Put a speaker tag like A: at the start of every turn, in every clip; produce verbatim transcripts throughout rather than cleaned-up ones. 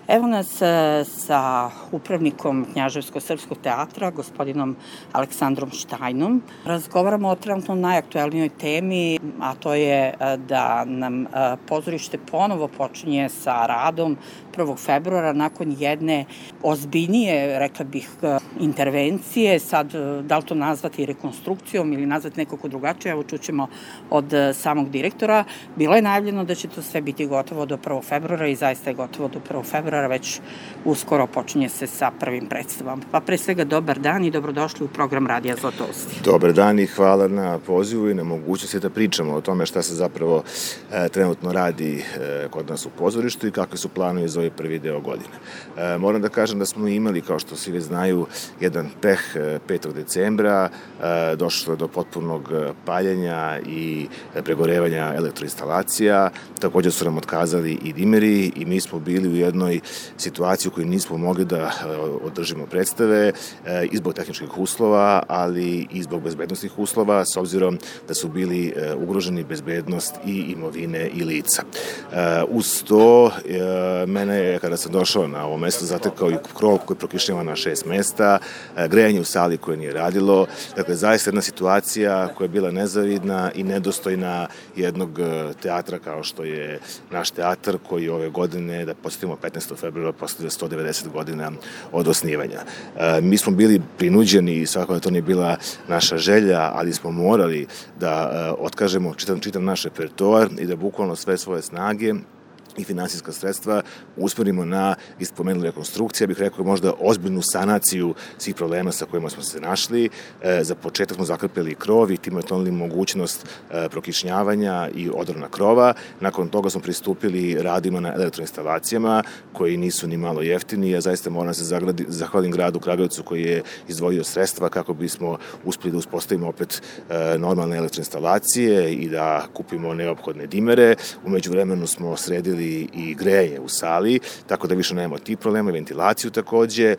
A: Evo nas sa upravnikom Knjaževsko-srpskog teatra, gospodinom Aleksandrom Štajnom. Razgovaramo o trenutno najaktuelnijoj temi, a to je da nam pozorište ponovo počinje sa radom prvog februara nakon jedne ozbiljnije, rekla bih, intervencije. Sad, da li to nazvati rekonstrukcijom ili nazvati nekako drugačije, evo čućemo od samog direktora. Bilo je najavljeno da će to sve biti gotovo do prvog februara i zaista je gotovo do prvog februara, već uskoro počinje se sa prvim predstavom. Pa pre svega dobar dan i dobrodošli u program Radija Zlatosti.
B: Dobar dan i hvala na pozivu i na mogućnosti da pričamo o tome šta se zapravo e, trenutno radi e, kod nas u pozorištu i kakvi su planovi za ovaj prvi deo godine. E, moram da kažem da smo imali, kao što svi već znaju, jedan peh e, petog decembra, e, došlo do potpunog paljenja i pregorevanja elektroinstalacija, takođe su nam otkazali i dimeri i mi smo bili u jednoj situaciji u kojoj nismo mogli da održimo predstave e, i zbog tehničkih uslova, ali i zbog bezbednostnih uslova, s obzirom da su bili e, ugroženi bezbednost i imovine i lica. E, uz to, e, mene je, kada sam došao na ovo mesto, zatekao i krov koji prokišnjava na šest mesta, e, grejanje u sali koje nije radilo. Dakle, zaista jedna situacija koja je bila nezavidna i nedostojna jednog teatra kao što je naš teatar, koji ove godine, da podsjetimo, petnaestog februara posle sto devedeset godina od osnivanja. E, mi smo bili prinuđeni, i svakako da to nije bila naša želja, ali smo morali da e, otkažemo čitav, čitav naš repertoar i da bukvalno sve svoje snage i finansijska sredstva usmerimo na ispomenuli rekonstrukcije, bih rekao možda ozbiljnu sanaciju svih problema sa kojima smo se našli. E, za početak smo zakrpili krov i time otklonili mogućnost e, prokišnjavanja i odrona krova. Nakon toga smo pristupili radima na elektroinstalacijama koji nisu ni malo jeftini. Ja zaista moram da se zagradi, zahvalim gradu Kragujevcu koji je izdvojio sredstva kako bismo uspeli da uspostavimo opet e, normalne elektroinstalacije i da kupimo neophodne dimere. U međuvremenu smo sredili i grejanje u sali, tako da više nemamo tih problema, ventilaciju takođe,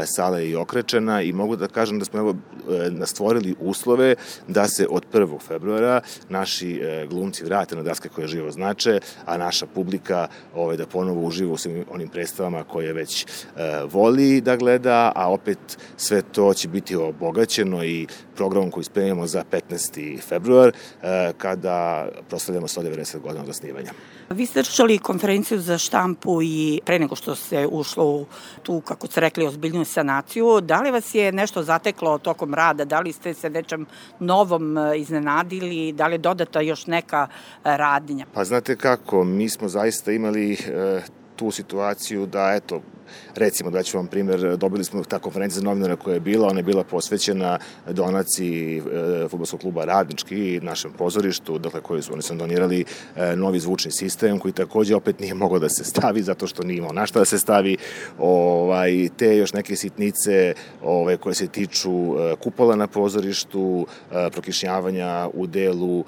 B: sala je i okrečena i mogu da kažem da smo evo stvorili uslove da se od prvog februara naši glumci vrate na daske koje živo znače, a naša publika ovaj, da ponovo uživa u svim onim predstavama koje već voli da gleda, a opet sve to će biti obogaćeno i programom koji spremamo za petnaesti februar, kada proslavljamo sto devedeset godina od osnivanja.
A: Vi ste držali konferenciju za štampu i pre nego što se ušlo u tu, kako ste rekli, ozbiljnu sanaciju. Da li vas je nešto zateklo tokom rada? Da li ste se nečem novom iznenadili? Da li je dodata još neka radnja?
B: Pa znate kako, mi smo zaista imali e, tu situaciju da, eto, recimo, da ću vam primjer, dobili smo ta konferencija za novinara koja je bila, ona je bila posvećena donaciji e, fudbalskog kluba Radnički našem pozorištu, dakle koji su, oni su donirali e, novi zvučni sistem koji takođe opet nije mogao da se stavi zato što nije imao na šta da se stavi, ovaj, te još neke sitnice ovaj, koje se tiču e, kupola na pozorištu, e, prokišnjavanja u delu e,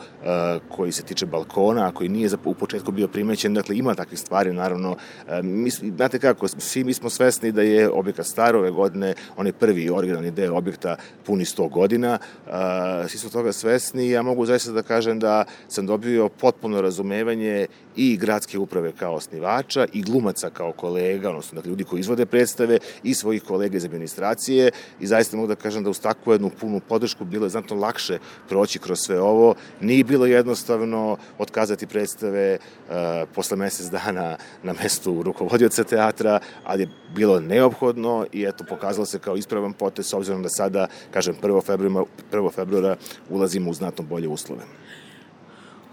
B: koji se tiče balkona, koji nije za, u početku bio primećen, dakle ima takvih stvari, naravno, e, mi, znate kako, svi mi smo svesni da je objekat star ove godine, onaj prvi originalni deo objekta puni sto godina, uh, svi su toga svesni i ja mogu zaista da kažem da sam dobio potpuno razumevanje i gradske uprave kao osnivača i glumaca kao kolega, odnosno dakle, ljudi koji izvode predstave i svojih kolega iz administracije i zaista mogu da kažem da uz takvu jednu punu podršku bilo je znatno lakše proći kroz sve ovo. Nije bilo jednostavno otkazati predstave uh, posle mesec dana na mestu rukovodioca teatra, ali je bilo neophodno i eto, pokazalo se kao ispravan potez s obzirom da sada, kažem, prvog februara ulazimo u znatno bolje uslove.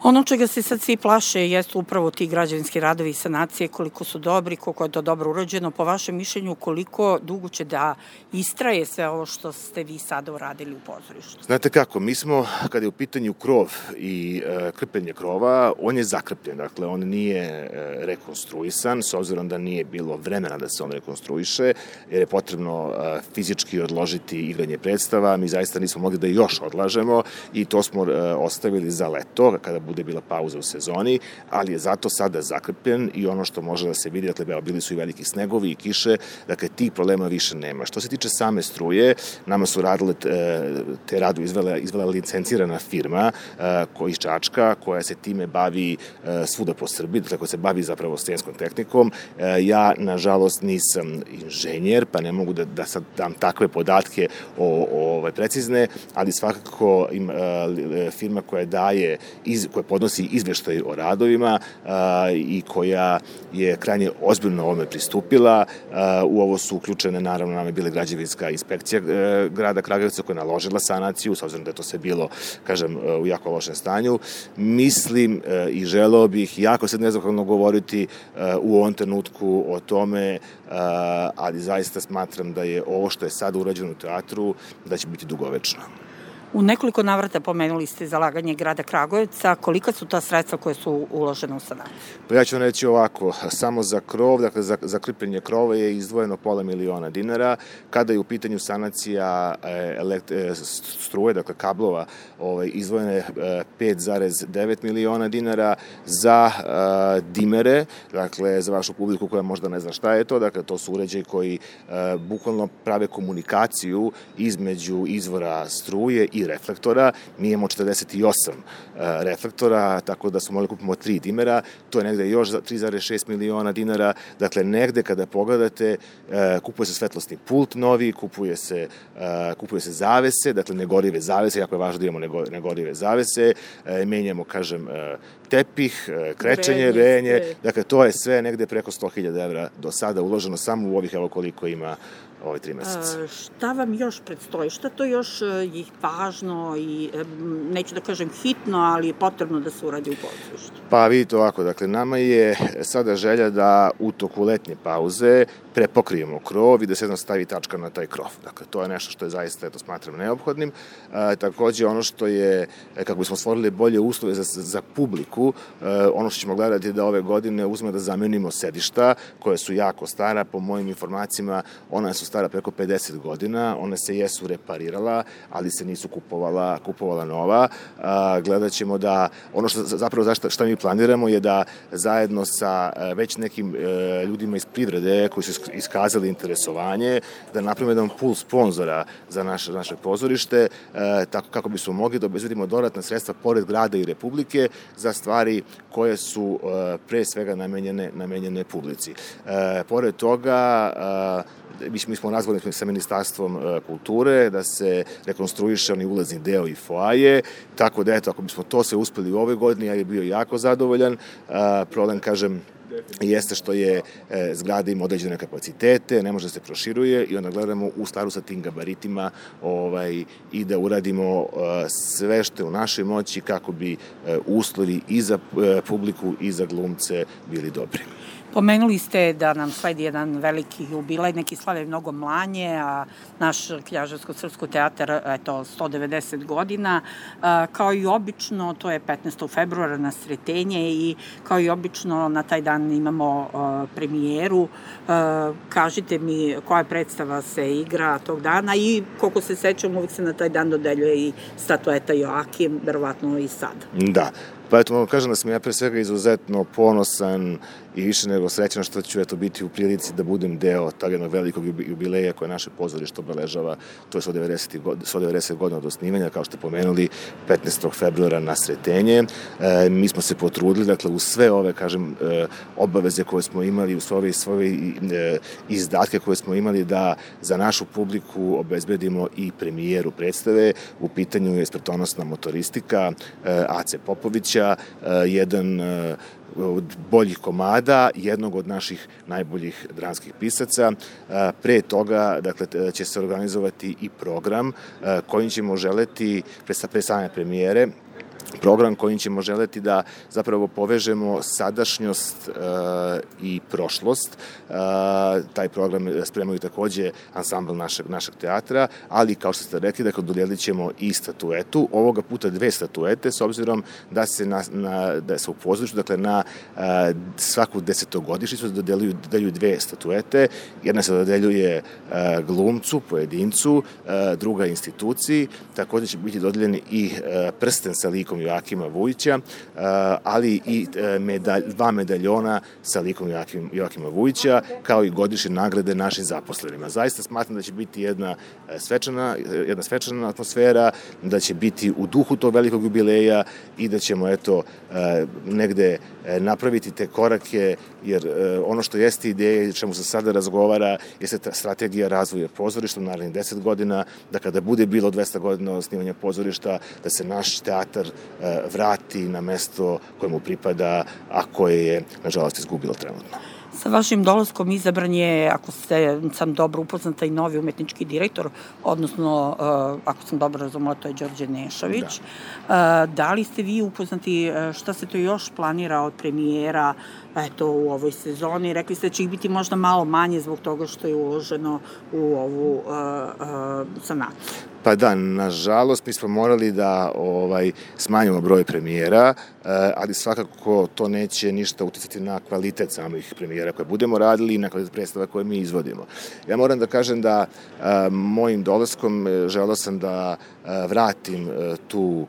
A: Ono čega se sad svi plaše jesu upravo ti građevinski radovi i sanacije, koliko su dobri, koliko je to dobro urađeno. Po vašem mišljenju, koliko dugo će da istraje sve ovo što ste vi sada uradili u pozorištu?
B: Znate kako, mi smo, kada je u pitanju krov i e, krpljenje krova, on je zakrpljen, dakle, on nije e, rekonstruisan, s obzirom da nije bilo vremena da se on rekonstruiše, jer je potrebno e, fizički odložiti igranje predstava, mi zaista nismo mogli da još odlažemo i to smo e, ostavili za leto, kada bude bila pauza u sezoni, ali je zato sada zakrpljen i ono što može da se vidi, dakle, bili su i veliki snegovi i kiše, dakle, tih problema više nema. Što se tiče same struje, nama su radile, te radu izvela, izvela licencirana firma koja iz Čačka, koja se time bavi svuda po Srbiji, dakle, koja se bavi zapravo strojenskom tehnikom. Ja, nažalost, nisam inženjer, pa ne mogu da, da sad dam takve podatke o, o, ovaj, precizne, ali svakako im, firma koja daje, iz, koja podnosi izveštaj o radovima i koja je krajnje ozbiljno ovome pristupila. U ovo su uključene, naravno, nam je bila građevinska inspekcija grada Kragujevca koja je naložila sanaciju, s obzirom da je to sve bilo, kažem, u jako lošem stanju. Mislim i želeo bih, jako sad nezahvalno govoriti u ovom trenutku o tome, ali zaista smatram da je ovo što je sad urađeno u teatru, da će biti dugovečno.
A: U nekoliko navrata pomenuli ste zalaganje grada Kragujevca. Kolika su ta sredstva koje su uložene u sanaciju?
B: Pa ja ću vam reći ovako, samo za krov, dakle za, za krpljenje krova je izdvojeno pola miliona dinara. Kada je u pitanju sanacija elekt, struje, dakle kablova, ovaj, izdvojeno je pet zarez devet miliona dinara. Za uh, dimere, dakle za vašu publiku koja možda ne zna šta je to, dakle to su uređaji koji uh, bukvalno prave komunikaciju između izvora struje i reflektora. Mi imamo četrdeset osam uh, reflektora, tako da smo mogli kupimo tri dimera, to je negde još za tri zarez šest miliona dinara, dakle negde kada pogledate, uh, kupuje se svetlosni pult novi, kupuje se, uh, kupuje se zavese, dakle negorive zavese, jako je važno da imamo negorive zavese, uh, menjamo, kažem, uh, tepih, uh, krečenje, renje, dakle to je sve negde preko sto hiljada evra do sada uloženo samo u ovih, evo koliko ima ove tri meseca.
A: Šta vam još predstoji? Šta to još je važno i, neću da kažem hitno, ali je potrebno da se uradi u pozorištu?
B: Pa vidite ovako, dakle, nama je sada želja da u toku letnje pauze prepokrijemo krov i da se jednom stavi tačka na taj krov. Dakle, to je nešto što je zaista, eto, smatram neophodnim. E, takođe, ono što je, kako bismo stvorili bolje uslove za, za publiku, e, ono što ćemo gledati da ove godine uzme da zamenimo sedišta, koje su jako stara, po mojim informacijama, ona su stara preko pedeset godina, one se jesu reparirala, ali se nisu kupovala, kupovala nova. A, gledat ćemo da, ono što zapravo zašto, šta mi planiramo je da zajedno sa već nekim e, ljudima iz privrede koji su iskazali interesovanje, da napravimo jedan pool sponzora za naše, naše pozorište, e, tako kako bismo mogli da obezbedimo dodatna sredstva pored grada i Republike za stvari koje su e, pre svega namenjene, namenjene publici. E, pored toga, e, mi smo nazvali sa Ministarstvom kulture da se rekonstruiše oni ulazni deo i foaje, tako da eto, ako bismo to se uspeli u ove godine, ja je bio jako zadovoljan. Problem, kažem, jeste što je e, zgrada ima određene kapacitete, ne može da se proširuje i onda gledamo u skladu sa tim gabaritima ovaj, i da uradimo e, sve što je u našoj moći kako bi e, uslovi i za e, publiku i za glumce bili dobri.
A: Pomenuli ste da nam sledi jedan veliki jubilej, neki slave mnogo manje, a naš Knjaževsko-srpsko teatar, eto, sto devedeset godina. Kao i obično, to je petnaestog februara na Sretenje i kao i obično na taj dan imamo premijeru. Kažite mi koja predstava se igra tog dana i koliko se sećam, uvijek se na taj dan dodeljuje i statueta Joakim, verovatno i sad.
B: Da. Pa eto, mogu kažem da sam ja pre svega izuzetno ponosan i više nego srećan što ću eto biti u prilici da budem deo tog jednog velikog jubileja koje naše pozorište obeležava, to je sto devedeset godina od osnivanja, kao što ste pomenuli, petnaestog februara na Sretenje. E, mi smo se potrudili, dakle, u sve ove, kažem, e, obaveze koje smo imali, u sve ove, sve ove e, izdatke koje smo imali da za našu publiku obezbedimo i premijeru predstave. U pitanju je smrtonosna motoristika e, Ace Popovića, jedan od boljih komada, jednog od naših najboljih dramskih pisaca. Pre toga, dakle, će se organizovati i program kojim ćemo želeti, pre same premijere, program kojim ćemo želeti da zapravo povežemo sadašnjost e, i prošlost. E, taj program spremaju takođe ansambl našeg, našeg teatra, ali kao što ste rekli, dakle, dodelit ćemo i statuetu, ovoga puta dve statuete, s obzirom da se, na, na, da se u pozorištu, dakle, na e, svaku desetogodišnjicu dodeljuju, dodeljuju dve statuete. Jedna se dodeljuje e, glumcu, pojedincu, e, druga instituciji. Takođe će biti dodeljeni i e, prsten sa likom likom Joakima Vujića, ali i medalj, dva medaljona sa likom Joakim, Joakima Vujića, kao i godišnje nagrade našim zaposlenima. Zaista smatram da će biti jedna svečana, jedna svečana atmosfera, da će biti u duhu tog velikog jubileja i da ćemo eto negde napraviti te korake, jer ono što jeste ideja i čemu se sada razgovara jeste ta strategija razvoja pozorišta u narednih deset godina, da kada bude bilo dvesta godina osnivanja pozorišta, da se naš teatar vrati na mesto kojemu pripada, a koje je, nažalost, izgubilo trenutno.
A: Sa vašim dolaskom izabran je, ako ste sam dobro upoznata, i novi umetnički direktor, odnosno, ako sam dobro razumela, to je Đorđe Nešović. Da. Da li ste vi upoznati šta se to još planira od premijera eto, u ovoj sezoni? Rekli ste da će ih biti možda malo manje zbog toga što je uloženo u ovu uh, uh, sanaciju.
B: Pa da, nažalost, mi smo morali da ovaj, smanjimo broj premijera, ali svakako to neće ništa uticati na kvalitet samih premijera koje budemo radili i na kvalitet predstava koje mi izvodimo. Ja moram da kažem da a, mojim dolaskom želeo sam da a, vratim a, tu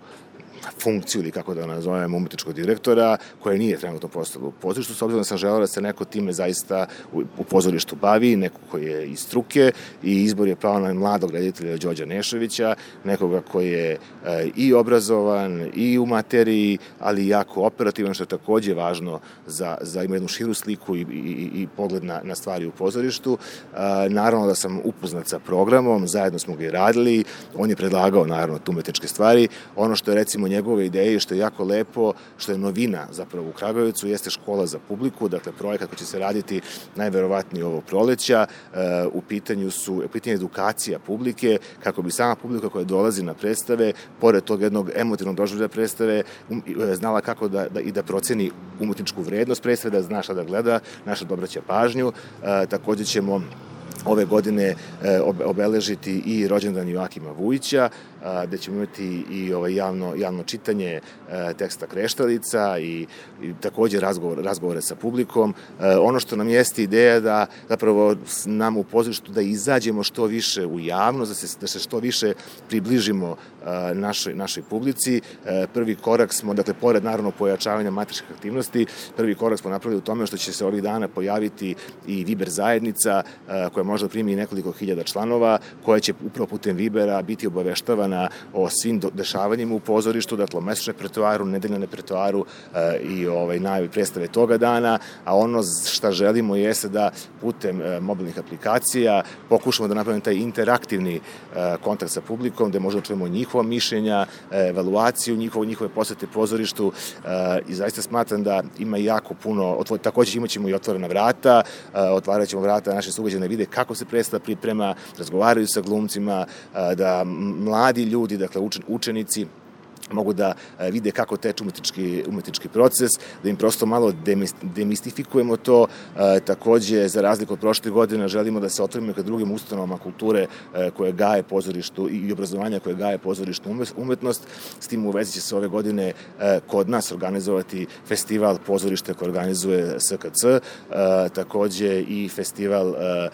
B: funkciju ili kako da nazovem umetničkog direktora koja nije trenutno postala u pozorištu, s obzirom da sam želeo da se neko time zaista u, u pozorištu bavi, neko koji je iz struke i izbor je pao na mladog reditelja Đorđa Nešovića, nekoga koji je e, i obrazovan i u materiji, ali i jako operativan, što je takođe važno za, za ima jednu širu sliku i, i, i pogled na, na stvari u pozorištu. E, naravno da sam upoznat sa programom, zajedno smo ga i radili, on je predlagao naravno tu umetničke stvari. Ono što je recimo njegove ideje, što je jako lepo, što je novina zapravo u Kragujevcu, jeste škola za publiku, dakle projekat koji će se raditi najverovatnije ovog proleća. U pitanju su, u pitanju edukacija publike, kako bi sama publika koja dolazi na predstave, pored tog jednog emotivnog doživljaja predstave, znala kako da, da i da proceni umetničku vrednost predstave, da zna šta da gleda, naša dobraća pažnju. Takođe ćemo ove godine obeležiti i rođendan Joakima Vujića, gde ćemo imati i ovaj javno, javno čitanje teksta Kreštalica i, i takođe razgovor, razgovore sa publikom. Ono što nam jeste ideja da zapravo nam u pozorištu da izađemo što više u javnost, da se, da se što više približimo našoj, našoj publici. Prvi korak smo, dakle, pored naravno pojačavanja amaterskih aktivnosti, prvi korak smo napravili u tome što će se ovih dana pojaviti i Viber zajednica koja možda primi nekoliko hiljada članova, koja će upravo putem Vibera biti obaveštavana o svim dešavanjima u pozorištu, dakle o mesečnom repertoaru, nedeljnom repertoaru e, i ovaj, najavi predstave toga dana, a ono šta želimo jeste da putem e, mobilnih aplikacija pokušamo da napravimo taj interaktivni e, kontakt sa publikom, gde možda čujemo njihova mišljenja, e, evaluaciju njihove, njihove posete pozorištu e, i zaista smatram da ima jako puno, otvor, takođe imat ćemo i otvorena vrata, e, otvarat ćemo vrata naše sugrađane, vide kako se predstava priprema, razgovaraju sa glumcima, e, da mladi ljudi, dakle učenici, mogu da vide kako teče umetnički, umetnički proces, da im prosto malo demistifikujemo to. E, takođe, za razliku od prošle godine, želimo da se otvorimo ka drugim ustanovama kulture e, koje gaje pozorištu i obrazovanja koje gaje pozorištu umetnost. S tim u vezi će se ove godine e, kod nas organizovati festival pozorišta koje organizuje S K C, e, takođe i festival e,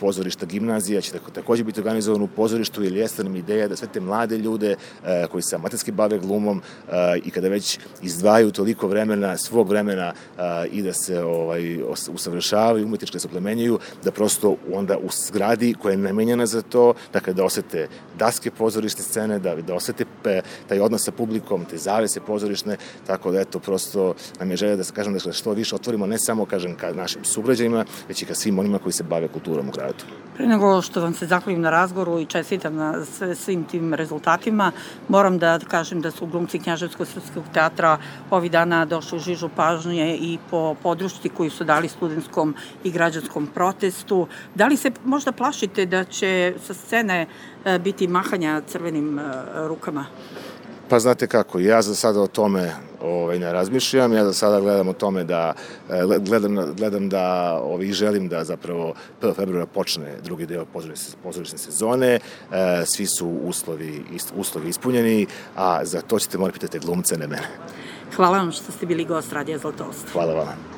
B: pozorišta gimnazija će takođe biti organizovan u pozorištu, jer jeste nam ideja da sve te mlade ljude e, koji se amaterski bave glumom uh, i kada već izdvajaju toliko vremena, svog vremena uh, i da se ovaj, usavršavaju, umetnički da se oplemenjuju, da prosto onda u zgradi koja je namenjena za to, dakle da osete daske pozorišne scene, da, da osete pe, taj odnos sa publikom, te zavese pozorišne, tako da eto prosto nam je želja da se kažem da što više otvorimo ne samo kažem ka našim sugrađanima, već i ka svim onima koji se bave kulturom u gradu.
A: Pre nego što vam se zahvalim na razgovoru i čestitam na sve, svim tim rezultatima, moram da kažem da su glumci Knjaževsko-srpskog teatra ovih dana došli u žižu pažnje i po podršci koju su dali studentskom i građanskom protestu. Da li se možda plašite da će sa scene biti mahanja crvenim rukama?
B: Pa znate kako, ja za sada o tome ovaj, ne razmišljam, ja za sada gledam o tome da, gledam, gledam da ovaj, želim da zapravo prvog februara počne drugi deo pozorišne sezone, svi su uslovi, uslovi ispunjeni, a za to ćete morati pitati glumce, ne mene.
A: Hvala vam što ste bili gost Radija Zlatost.
B: Hvala vam.